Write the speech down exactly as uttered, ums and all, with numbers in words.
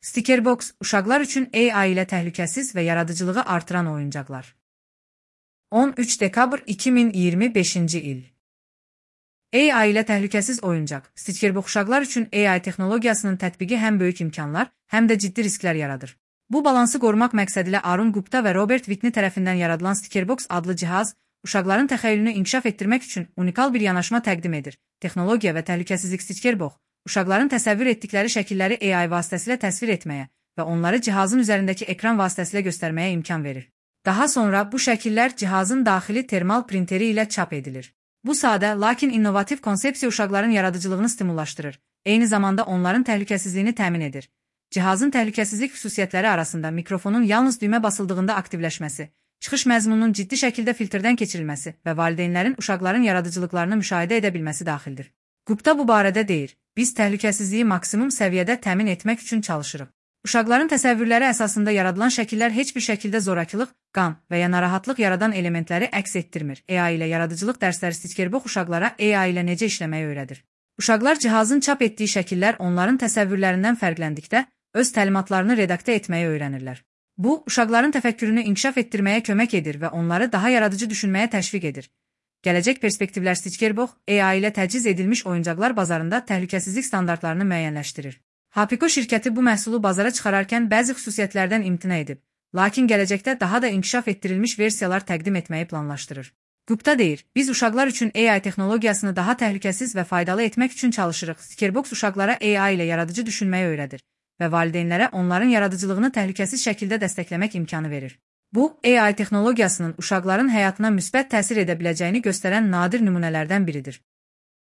Stickerbox, uşaqlar üçün A I ilə təhlükəsiz və yaradıcılığı artıran oyuncaqlar. on üç dekabr iki min iyirmi beşinci il. A I ilə təhlükəsiz oyuncaq. Stickerbox uşaqlar üçün A I texnologiyasının tətbiqi həm böyük imkanlar, həm də ciddi risklər yaradır. Bu balansı qorumaq məqsədilə Arun Gupta və Robert Whitney tərəfindən yaradılan Stickerbox adlı cihaz, uşaqların təxəyyülünü inkişaf etdirmək üçün unikal bir yanaşma təqdim edir. Texnologiya və təhlükəsizlik Stickerbox, uşaqların təsəvvür etdikləri şəkilləri A I vasitəsilə təsvir etməyə və onları cihazın üzərindəki ekran vasitəsilə göstərməyə imkan verir. Daha sonra bu şəkillər cihazın daxili termal printeri ilə çap edilir. Bu sadə, lakin innovativ konsepsiya uşaqların yaradıcılığını stimullaşdırır, eyni zamanda onların təhlükəsizliyini təmin edir. Cihazın təhlükəsizlik xüsusiyyətləri arasında mikrofonun yalnız düymə basıldığında aktivləşməsi, çıxış məzmununun ciddi şəkildə filtrdən keçirilməsi və valideynlərin uşaqların yaradıcılıqlarını müşahidə edə bilməsi daxildir. Gupta bu barədə deyir, biz təhlükəsizliyi maksimum səviyyədə təmin etmək üçün çalışırıq. Uşaqların təsəvvürləri əsasında yaradılan şəkillər heç bir şəkildə zorakılıq, qan və ya narahatlıq yaradan elementləri əks etdirmir. A I ilə yaradıcılıq dərsləri Stickerbox uşaqlara A I ilə necə işləməyi öyrədir. Uşaqlar cihazın çap etdiyi şəkillər onların təsəvvürlərindən fərqləndikdə öz təlimatlarını redaktə etməyi öyrənirlər. Bu, uşaqların təfəkkürünü inkişaf etdirməyə kömək edir və onları daha yaradıcı düşünməyə təşviq edir. Gələcək perspektivlər Stickerbox, A I ilə təchiz edilmiş oyuncaqlar bazarında təhlükəsizlik standartlarını müəyyənləşdirir. Hapiko şirkəti bu məhsulu bazara çıxararkən bəzi xüsusiyyətlərdən imtina edib, lakin gələcəkdə daha da inkişaf etdirilmiş versiyalar təqdim etməyi planlaşdırır. Gupta deyir, biz uşaqlar üçün A I texnologiyasını daha təhlükəsiz və faydalı etmək üçün çalışırıq. Stickerbox uşaqlara A I ilə yaradıcı düşünməyi öyrədir və valideynlərə onların yaradıcılığını təhlükəsiz şəkildə dəstəkləmək imkanı verir. Bu, A I texnologiyasının uşaqların həyatına müsbət təsir edə biləcəyini göstərən nadir nümunələrdən biridir.